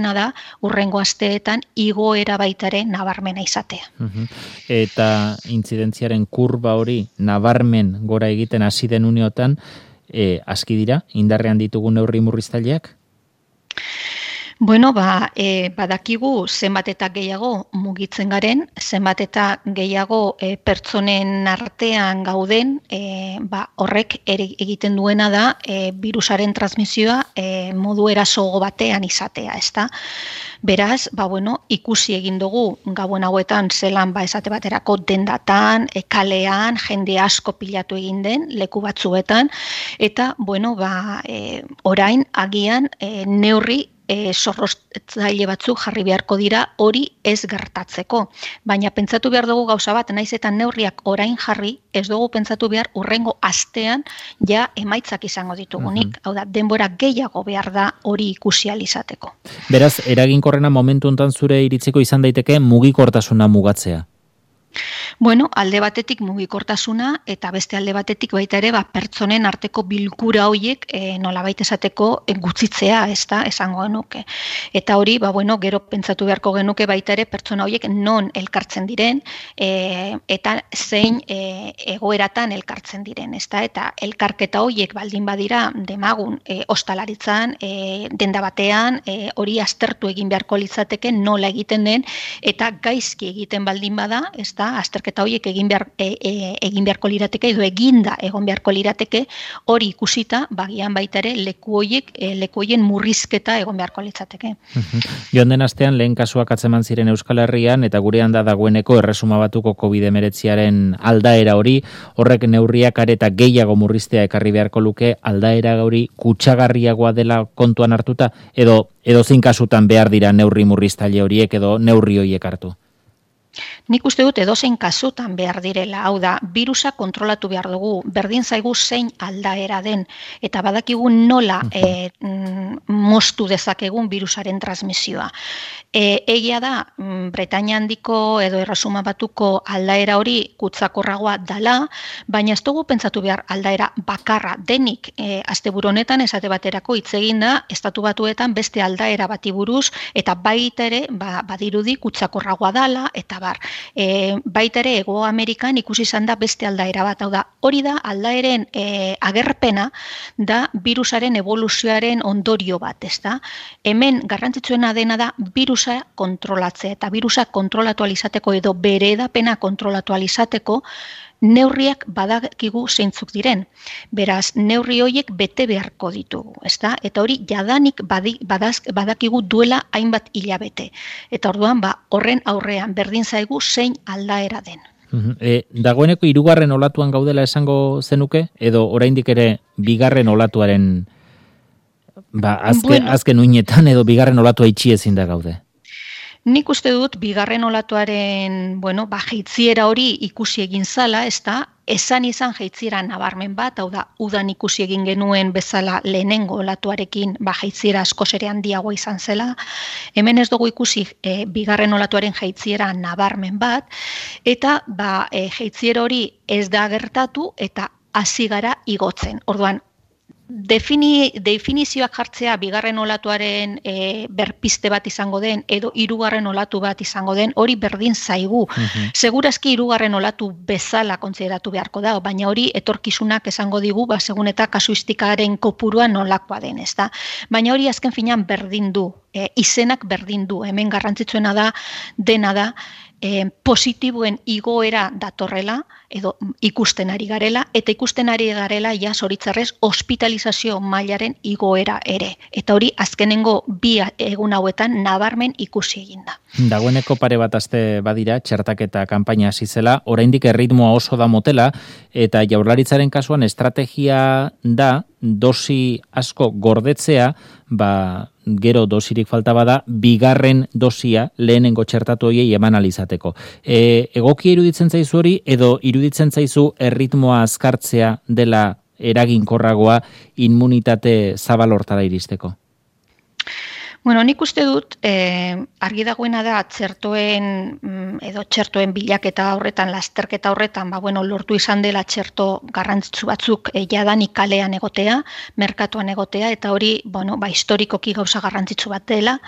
da hurrengo asteetan igoera baitare nabarmena izatea. Eta intzidentziaren kurba hori nabarmen gora egiten hasi den uneotan, aski dira, indarrean ditugu neurri murriztaileak? Bueno, badakigu zenbat eta gehiago mugitzen garen, zenbat eta gehiago pertsonen artean gauden, horrek egiten duena da virusaren transmisioa modu erasogo batean izatea, ezta? Beraz, ikusi egin dugu gabon hauetan zelan esate baterako dendatan, kalean, jende asko pilatu egin den leku batzuetan, eta orain agian neurri zorroztaile batzuk jarri beharko dira hori ez gertatzeko. Baina pentsatu behar dugu gauza bat, naiz eta neurriak orain jarri, ez dugu pentsatu behar urrengo astean ja emaitzak izango ditugunik. Hau da, denbora gehiago behar da hori ikusi ahal izateko. Beraz, eraginkorrena momentu hontan zure iritziko izan daiteke mugikortasuna mugatzea. Bueno, alde batetik mugikortasuna eta beste alde batetik baita ere pertsonen arteko bilkura horiek nolabait esateko gutxitzea, ezta, esango genuke. Eta hori, gero pentsatu beharko genuke baita ere pertsona horiek non elkartzen diren eta zein egoeratan elkartzen diren, ezta, eta elkarketa horiek baldin badira demagun ostalaritzan, denda batean, hori aztertu egin beharko litzateke nola egiten den eta gaizki egiten baldin bada, ezta, azterketa horiek egin beharko lirateke edo eginda egon beharko lirateke, hori ikusita bagian baita ere leku horien murrizketa egon beharko litzateke. Joan den astean lehen kasuak atzeman ziren Euskal Herrian eta gurean da dagoeneko erresuma batuko COVID-19 aldaera hori, horrek neurriak areta gehiago murriztea ekarri beharko luke, aldaera hori kutsagarriagoa dela kontuan hartuta edo zein kasutan behar dira neurri murriztaile horiek edo neurri horiek hartu? Nik uste dut edozein kasutan behar direla, hau da, virusa kontrolatu behar dugu, berdin zaigu zein aldaera den, eta badakigu nola moztu dezakegun virusaren transmisioa. Egia da, Bretainia handiko edo Erresuma Batuko aldaera hori kutsakorragoa dala, baina ez dugu pentsatu behar aldaera bakarra denik. Asteburu honetan esate baterako hitz egin da Estatu Batuetan beste aldaera bati buruz eta baita ere badirudi kutsakorragoa dala eta baita ere Hego Amerikan ikusi izan da beste aldaera bat, hau da, hori da aldaeren agerpena da virusaren evoluzioaren ondorio bat, ezta? Hemen garrantzitsuena dena da virusa kontrolatzea eta virusa kontrolatu ahal izateko edo bere hedapena kontrolatu ahal izateko neurriak badakigu zeintzuk diren. Beraz, neurri horiek bete beharko ditugu, ezta? Eta hori jadanik badakigu duela hainbat hilabete. Eta orduan, horren aurrean berdin zaigu zein aldaera den. Dagoeneko 3. olatuan gaudela esango zenuke, edo oraindik ere 2. olatuaren azken uinetan edo 2. olatua itxi ezin da gaude? Nik uste dut 2. olatuaren, jaitziera hori ikusi egin zala, ezta, izan jaitziera nabarmen bat, hau da, udan ikusi egin genuen bezala lehenengo olatuarekin jaitziera askoz ere handiagoa izan zela. Hemen ez dugu ikusi 2. olatuaren jaitziera nabarmen bat, eta jaitziera hori ez da gertatu eta hasi gara igotzen. Orduan, definizioak jartzea 2. olatuaren berpiste bat izango den edo 3. olatu bat izango den, hori berdin zaigu. Segurazki 3. olatu bezala kontsideratu beharko da, baina hori etorkizunak esango digu, segun eta kasuistikaren kopurua nolakoa den, ezta? Baina hori azken finean berdin du, izenak berdin du, hemen garrantzitsuena dena da, positiboen igoera datorrela edo ikusten ari garela eta ikusten ari garela zoritzarrez hospitalizazio mailaren igoera ere. Eta hori azkenengo 2 egun hauetan nabarmen ikusi egin da. Dagoeneko pare bat aste badira txertaketa kanpaina hasi zela, oraindik erritmoa oso da motela eta Jaurlaritzaren kasuan estrategia da dosi asko gordetzea, gero dosirik falta bada, 2. dosia lehenengo txertatu horiei eman alizateko. Egokia iruditzen zaizu hori, edo iruditzen zaizu erritmoa azkartzea dela eraginkorragoa immunitate zabal hortara iristeko? Bueno, nik uste dut, argi dagoena da txertoen bilaketa horretan, lasterketa horretan, lortu izan dela txerto garrantzitsu batzuk jadanik kalean egotea, merkatuan egotea, eta hori, historikoki gauza garrantzitsu bat dela.